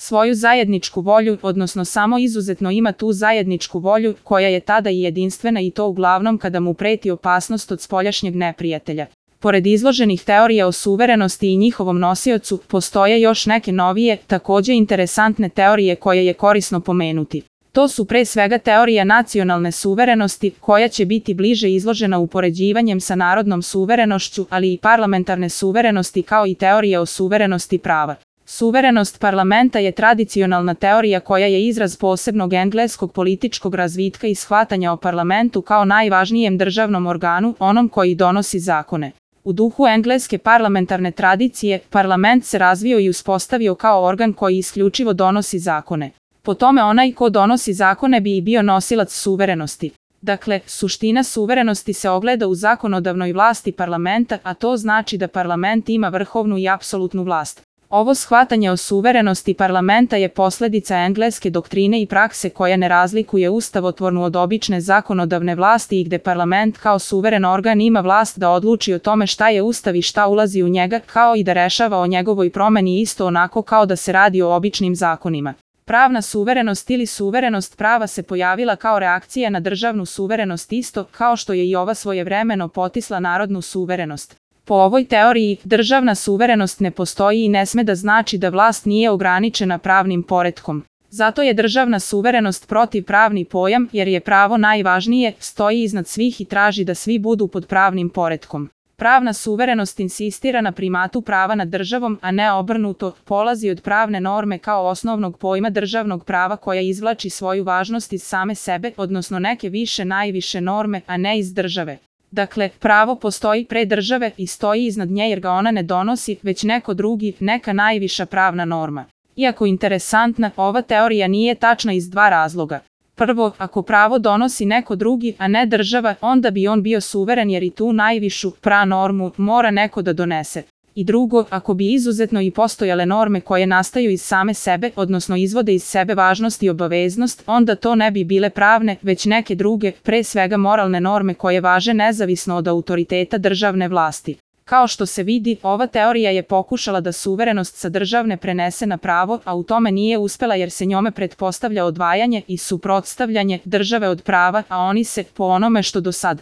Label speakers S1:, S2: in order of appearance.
S1: svoju zajedničku volju, odnosno samo izuzetno ima tu zajedničku volju, koja je tada i jedinstvena i to uglavnom kada mu preti opasnost od spoljašnjeg neprijatelja. Pored izloženih teorija o suverenosti i njihovom nosiocu, postoje još neke novije, takođe interesantne teorije koje je korisno pomenuti. To su pre svega teorija nacionalne suverenosti, koja će biti bliže izložena upoređivanjem sa narodnom suverenošću, ali i parlamentarne suverenosti kao i teorija o suverenosti prava. Suverenost parlamenta je tradicionalna teorija koja je izraz posebnog engleskog političkog razvitka i shvatanja o parlamentu kao najvažnijem državnom organu, onom koji donosi zakone. U duhu engleske parlamentarne tradicije, parlament se razvio i uspostavio kao organ koji isključivo donosi zakone. Po tome onaj ko donosi zakone bi i bio nosilac suverenosti. Dakle, suština suverenosti se ogleda u zakonodavnoj vlasti parlamenta, a to znači da parlament ima vrhovnu i apsolutnu vlast. Ovo shvatanje o suverenosti parlamenta je posledica engleske doktrine i prakse koja ne razlikuje ustavotvornu od obične zakonodavne vlasti i gde parlament kao suveren organ ima vlast da odluči o tome šta je ustav i šta ulazi u njega, kao i da rešava o njegovoj promeni isto onako kao da se radi o običnim zakonima. Pravna suverenost ili suverenost prava se pojavila kao reakcija na državnu suverenost isto kao što je i ova svojevremeno potisla narodnu suverenost. Po ovoj teoriji, državna suverenost ne postoji i ne sme da znači da vlast nije ograničena pravnim poretkom. Zato je državna suverenost protivpravni pojam, jer je pravo najvažnije, stoji iznad svih i traži da svi budu pod pravnim poretkom. Pravna suverenost insistira na primatu prava nad državom, a ne obrnuto, polazi od pravne norme kao osnovnog pojma državnog prava koja izvlači svoju važnost iz same sebe, odnosno neke više najviše norme, a ne iz države. Dakle, pravo postoji pre države i stoji iznad nje jer ga ona ne donosi, već neko drugi, neka najviša pravna norma. Iako interesantna, ova teorija nije tačna iz dva razloga. Prvo, ako pravo donosi neko drugi, a ne država, onda bi on bio suveren jer i tu najvišu normu mora neko da donese. I drugo, ako bi izuzetno i postojale norme koje nastaju iz same sebe, odnosno izvode iz sebe važnost i obaveznost, onda to ne bi bile pravne, već neke druge, pre svega moralne norme koje važe nezavisno od autoriteta državne vlasti. Kao što se vidi, ova teorija je pokušala da suverenost sa državne prenese na pravo, a u tome nije uspela jer se njome pretpostavlja odvajanje i suprotstavljanje države od prava, a oni se, po onome što do sad